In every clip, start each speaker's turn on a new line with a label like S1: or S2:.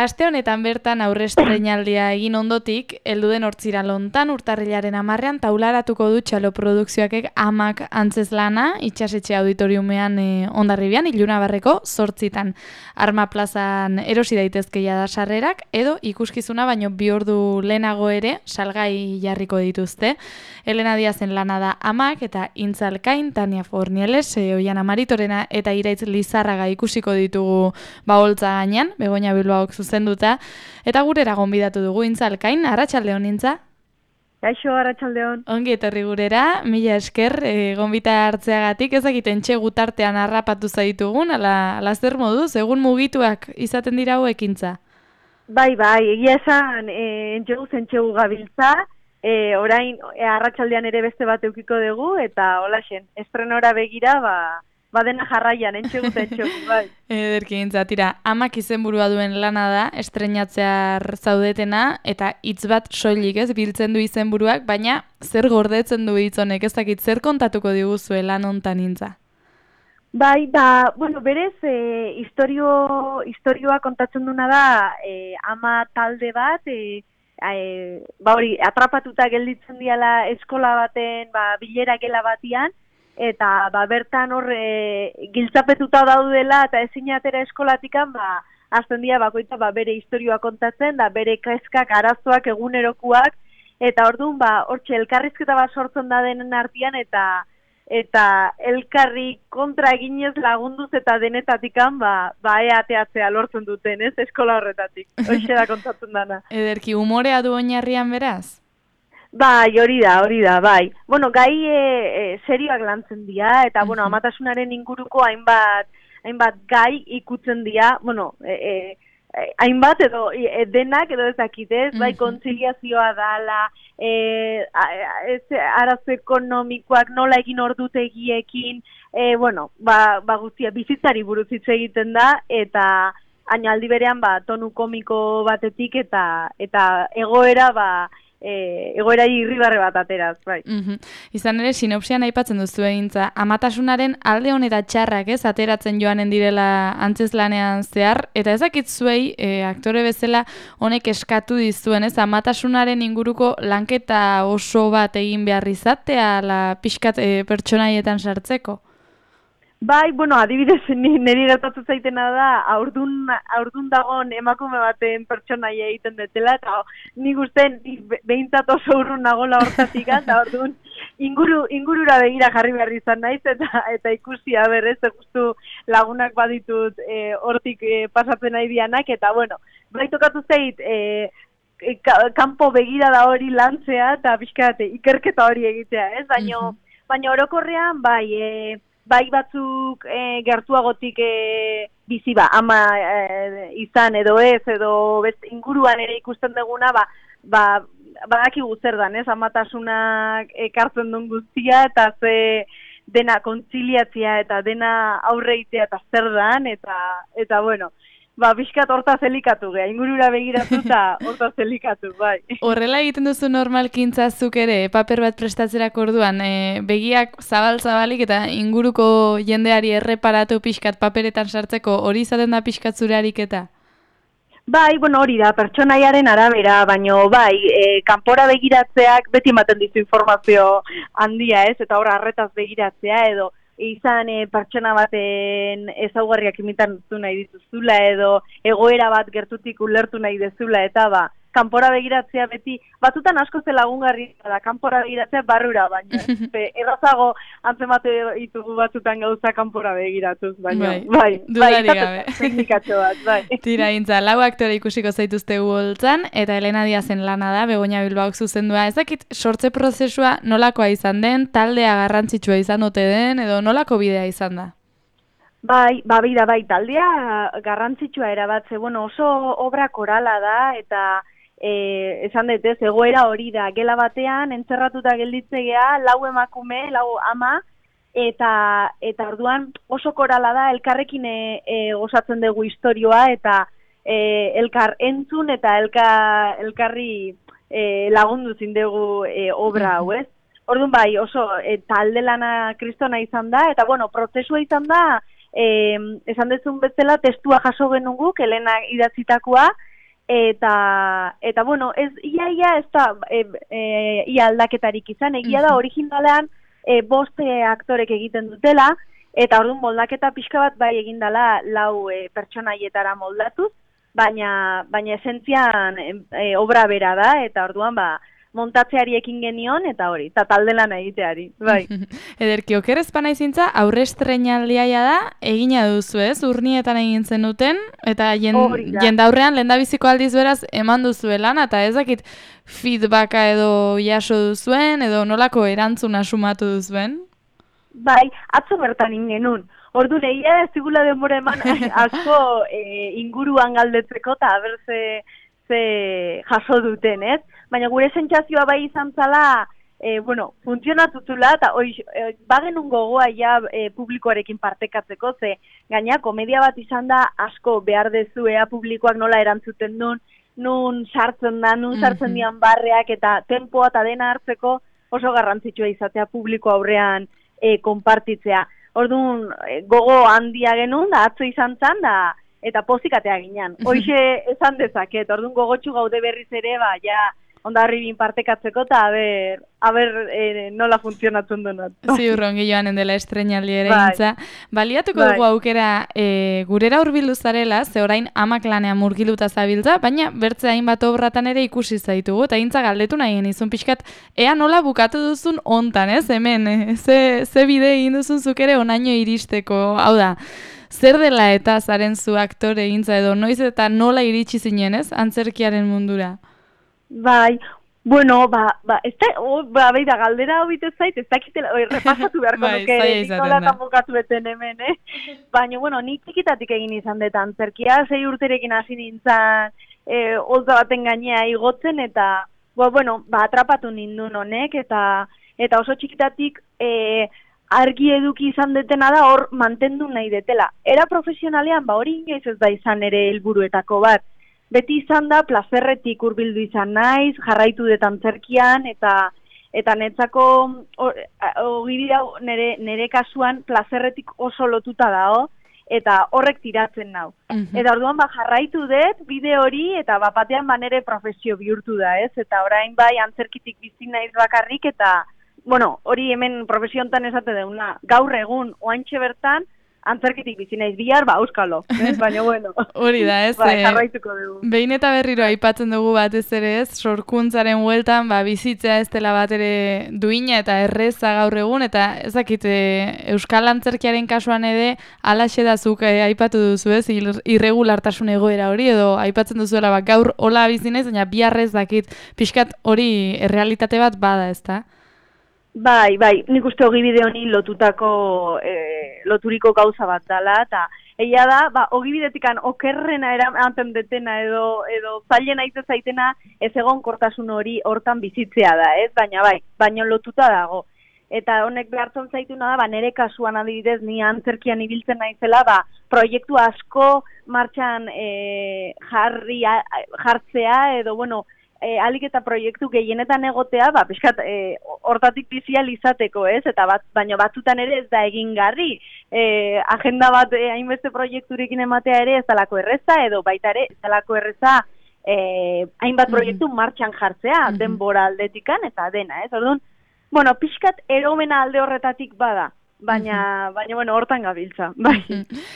S1: aste honetan bertan aurrestreinaldia egin ondotik, heldu den hortzira lontan urtarrilaren 10ean taularatuko du Txalo Produkzioakek Amak antzezlana, itxasetxe auditoriumean Hondarribian, Ilunabarreko 8 Arma plazan erosi daitezkeia da sarrerak, edo ikuskizuna baino 2 ordu lehenago ere salgai jarriko dituzte. Elena Diazen lana da Amak eta Intzalkain, Tania Fornieles, Oiana Maritorena eta Iraitz Lizarraga ikusiko ditugu baholtza gainean, Begoña Bilbaok zuzenduta, eta gurera gonbidatu dugu Intzalkain, arratsaldeon Intza.
S2: Kaixo, arratsaldeon.
S1: Ongi etorri gurera, mila esker, gonbita hartzeagatik, ezakiten txegu tartean harrapatu zaitugun, ala zer moduz, egun mugituak izaten dira hauek Intza?
S2: Bai, egia esan, entxegu gabiltza, orain arratsaldean ere beste bat eukiko dugu, eta holaxen, estrenora begira, dena jarraian, entxegu, bai.
S1: Ederki Intza, tira, Amak izenburua duen lana da, estrenatzear zaudetena, eta hitz bat soilik ez, biltzen du izenburuak, baina zer gordetzen du hitz honek, ez dakit, zer kontatuko diguzue lan hontan Intza?
S2: Bai, berez, historioa kontatzen duna da, ama talde bat, atrapatuta gelditzen diala eskola baten, bilera gela batian, eta bertan hor giltzapetuta daudela eta ezin atera eskolatikan, azten dira bakoitza bere historioa kontatzen, da bere kezkak, arazoak, egunerokuak, eta orduan hortxe elkarrizketa bat sortzen da denen artean, eta elkarri kontra eginez lagunduz eta denetatikan ateatzea lortzen duten, ez, eskola horretatik. Hoxe da kontatzen dana.
S1: Ederki, umorea du oinarrian beraz?
S2: Bai, hori da, bai. Bueno, gai serioak lantzen dira, eta, amatasunaren inguruko hainbat gai ikutzen dira, hainbat edo denak edo ezakitez, bai, kontziliazioa dala, arazo ekonomikoak nola egin ordutegiekin, guztia, bizitzari buruz hitz egiten da, eta aldi berean, tonu komiko batetik, eta egoerari irribarre bat ateraz, bai.
S1: Izan ere, sinopsian aipatzen duzu Intza, amatasunaren alde on eta txarrak ez, ateratzen joanen direla antzezlanean zehar, eta ezakit zuei, aktore bezala honek eskatu dizuen, ez, amatasunaren inguruko lanketa oso bat egin behar izatea, pixkat pertsonaietan sartzeko?
S2: Bai, adibidez, niri gertatu zaitena da, aurdun dagoen emakume baten pertsonaia egiten dutela, eta nik uste behintzat oso urrun nagola hortatik, eta orduan ingurura begira jarri behar izan naiz, eta ikusia berrez, justu lagunak baditut hortik pasatzen nahi dianak, eta bai tokatu zait, kanpo begira da hori lantzea, eta pixkat ikerketa hori egitea, ez? Baina orokorrean, bai batzuk gertuagotik bizi ama izan edo ez, edo inguruan ere ikusten duguna, badakigu zer dan, ez? Amatasunak ekartzen duen guztia, eta ze dena kontziliatzia eta dena aurreitea eta zer dan, eta pixkat hortaz elikatu geha, ingurura begiratu eta hortaz elikatu, bai.
S1: Horrela egiten duzu normalkintzazuk ere, paper bat prestatzerak orduan, begiak zabal-zabalik eta inguruko jendeari erreparatu pixkat paperetan sartzeko, hori izaten da pixkat zure ariketa?
S2: Bai, hori da, pertsonaiaren arabera, baino kanpora begiratzeak beti ematen dizu informazio handia, ez, eta hor arretaz begiratzea edo, izan pertsona baten ezaugarriak imitantu nahi dituzula edo egoera bat gertutik ulertu nahi dezula eta kanpora begiratzea beti, batzutan asko ze lagungarri da, kanpora begiratzea barrura, baina errazago antzemate ditugu batzutan gauza kanpora begiratuz, baina
S1: gabe.
S2: Teknikatxo bat, bai.
S1: Tira Intza, 4 aktore ikusiko zaituzte holtzan, eta Elena Diazen lana da, Begoña Bilbaok zuzendua. Ezakit sortze prozesua nolakoa izan den, taldea garrantzitsua izan ote den, edo nolako bidea izan da?
S2: Bai, taldea garrantzitsua erabatze, oso obra korala da, eta esan dut ez, egoera hori da, gela batean, entzerratuta gelditzea, 4 emakume, 4 ama, eta orduan oso korala da, elkarrekin gozatzen dugu historioa, eta elkar entzun eta elkarri lagundu zindegu obra hau, ez? Orduan oso talde lana kristona izan da, eta prozesua izan da, esan dezun bezala testua jaso genuguk, Elena idatzitakoa, eta bueno, ia ez da ia aldaketarik izan, egia da originalean 5 aktorek egiten dutela, eta orduan moldaketa pixka bat bai egin dela 4 pertsonaietara moldatuz, baina esentzian obra bera da, eta orduan montatzeari ekin genion, eta hori, eta talde lan egiteari, bai.
S1: Ederki, oker ezpana izintza, aurre estreinaldia da, egina duzu ez, urnietan egin zenuten, eta jendaurrean lehendabiziko aldiz beraz eman duzuelan, eta ez dakit feedbacka edo jaso duzuen, edo nolako erantzuna sumatu duzuen?
S2: Bai, atzo bertan ingenun. Ordu egia ez digula denbora eman asko inguruan galdetzeko, eta haber ze jaso duten, ez? Baina gure sentsazioa bai izan zala, funtzionatuzula, eta bagenun gogoa ja publikoarekin partekatzeko, ze gaina komedia bat izan da asko behar dezu publikoak nola erantzuten duen, nun sartzen da, nun sartzen dian barreak, eta tempoa eta dena hartzeko oso garrantzitsua izatea publiko aurrean konpartitzea. Orduan, gogo handia genuen, da atzo izan zan, da eta pozikatea ginen. Hoxe esan dezaket, orduan gogotxu gaude berriz ere, ondarribin partekatzeko, eta haber nola funtzionatzen denat.
S1: Ziurron joanen dela estreinaldi ere gintza. Baliatuko dugu aukera gurera hurbildu zarela, ze orain amak lanean murgiluta zabiltza, baina bertze hainbat obratan ere ikusi zaitugu, eta gintza galdetu nahi genizun pixkat, ea nola bukatu duzun ontan, ez? Hemen, ze bide egin duzun zuk ere onaino iristeko, hau da, zer dela eta zaren zu aktore egintza edo, noiz eta nola iritsi zinen, ez? Antzerkiaren mundura.
S2: Bai, bueno, beida, galdera hobit ez zait, ez dakitela, repasatu beharko nuke, nola eta bukatu beten hemen, Baina, bueno, nik txikitatik egin izan dut antzerkia, 6 urterekin hasi nintzen, olza baten gainea igotzen, eta, atrapatu nindun honek, eta oso txikitatik argi eduki izan detena da hor mantendu nahi detela. Era profesionalean, hori inoiz ez da izan ere helburuetako bat. Beti izan da, plazerretik hurbildu izan naiz, jarraitu dut antzerkian, eta netzako nire kasuan plazerretik oso lotuta dago, eta horrek tiratzen nau. Eta orduan jarraitu dut, bide hori, eta batean nire profesio bihurtu da, ez? Eta orain bai antzerkitik bizi naiz bakarrik, eta hori hemen profesiontan esate deuna, gaur egun, oantxe bertan, antzerkitik bizi naiz bihar, euskalo, baina bueno.
S1: Hori da, ez?
S2: Jarraituko dugu.
S1: Behin eta berriro aipatzen dugu batez ere, ez? Sorkuntzaren bueltan, bizitzea ez dela bat ere duina eta erreza gaur egun, eta ezakit euskal antzerkiaren kasuan ere, alaxe da zuk aipatu duzu, ez? Irregulartasun egoera hori, edo aipatzen duzuela, gaur hola bizi naiz, baina biharrez dakit pixkat hori errealitate bat bada, ez da?
S2: Bai, nik uste ogibide honi loturiko gauza bat dela, eta egia da, ogibidetikan okerrena eramaten detena edo zailena izan zaitena ez egon kortasun hori hortan bizitzea da, ez? Baina lotuta dago. Eta honek behartzen zaituna da, nire kasuan adibidez, ni antzerkian ibiltzen naizela, proiektu asko martxan jartzea edo, alik eta proiektu gehienetan egotea, pixkat, hortatik bizial izateko, ez? Eta baina batzutan ere ez da egingarri. Agenda bat hainbeste proiekturekin ematea ere ez dalako erreza, edo baita ere ez dalako erreza hainbat proiektu martxan jartzea, denbora aldetikan, eta dena, ez? Orduan, pixkat eromena alde horretatik bada. Baina, hortan gabiltza, bai.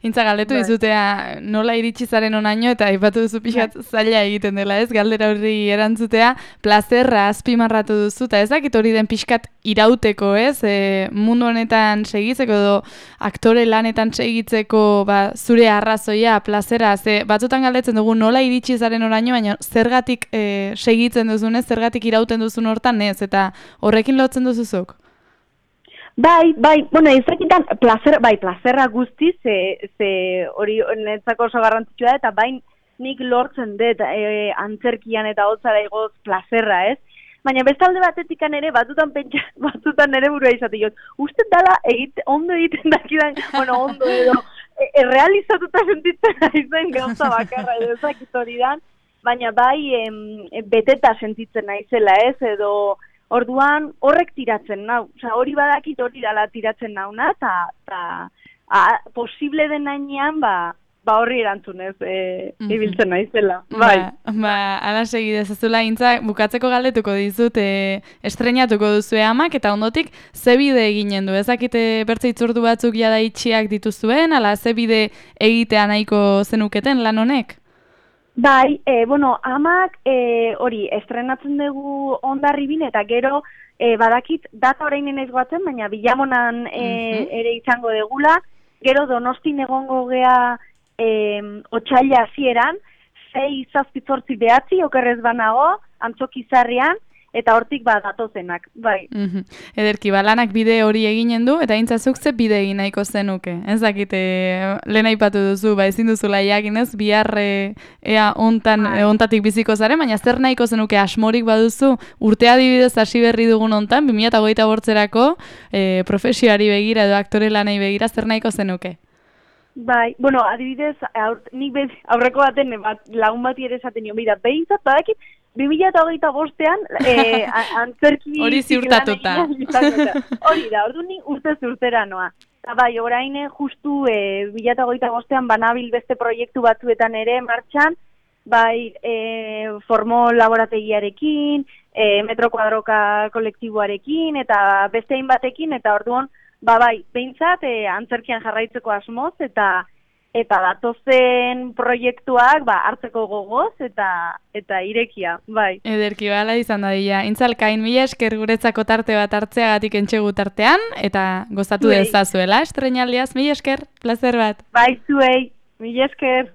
S1: Intza galdetu dizutea nola iritsi zaren onaino, eta aipatu duzu pixat zaila egiten dela, ez? Galdera hori erantzutea, plazerra azpimarratu duzu, eta ezakit hori den pixkat irauteko, ez? Mundu honetan segitzeko edo aktore lanetan segitzeko zure arrazoia, plazera, batzutan galdetzen dugu nola iritsi zaren onaino, baina zergatik segitzen duzunez, zergatik irauten duzun hortan, ez? Eta horrekin lotzen duzuzuk?
S2: Bai, ezakitan, plazerra guztiz, hori netzako oso garrantzitsua da, eta nik lortzen dut antzerkian eta hotzara igoz plazerra, ez? Baina bestalde batetikan ere, batzutan ere burua izate, uste dala ondo egiten dakidan, ondo edo, errealizatuta sentitzen naizen gauza bakarra edo ezakit hori dan, baina beteta sentitzen naizela, ez? Edo, orduan horrek tiratzen nau, hori badakit hori dala tiratzen nauna, eta posible den nainean, horri erantzunez ibiltzen naizela. Bai.
S1: Ala segi dezazula, Intza, bukatzeko galdetuko dizut, estrenatuko duzue Amak, eta ondotik, ze bide eginen du? Ezakite bertze itzordu batzuk jada itxiak dituzuen, ala ze bide egitea nahiko zenuketen lan honek?
S2: Bai, Amak hori, estrenatzen dugu Hondarribin, eta gero badakit data orain naiz goatzen, baina Bilamonan ere izango degula, gero Donostin egongo gea otsaila hasieran, 6-7-8 okerrez banago, Antzokizarrian, eta hortik datozenak, bai.
S1: Ederki, lanak bide hori eginen du, eta Intzazuk ze bide egin nahiko zenuke. Ez dakite, lehen aipatu duzu, ezin duzula jakinez, bihar ea ontatik biziko zaren, baina zer nahiko zenuke asmorik baduzu, urtea adibidez hasi berri dugun ontan, 2028erako profesioari begira edo aktore lanei begira, zer nahiko zenuke?
S2: Bai, adibidez, nik aurreko baten lagun bati ere esaten nion, behintzat, badakit, 2025an antzerki...
S1: Hori ziurtatuta.
S2: Hori da, ordu nik urtez urtera noa. Eta bai, orain justu 2025an banabil beste proiektu batzuetan ere martxan, bai, formo laborategiarekin, metro kuadroka kolektiboarekin, eta beste hainbatekin, eta orduan, bai, behintzat, antzerkian jarraitzeko asmoz, eta datozen proiektuak hartzeko gogoz eta irekia, bai.
S1: Ederki, bala izan dadila. Intzalkain, mila esker guretzako tarte bat hartzeagatik entxegu tartean, eta gozatu dezazuela estrenaldiaz, mila esker, plazer bat.
S2: Bai, zuei, mila esker.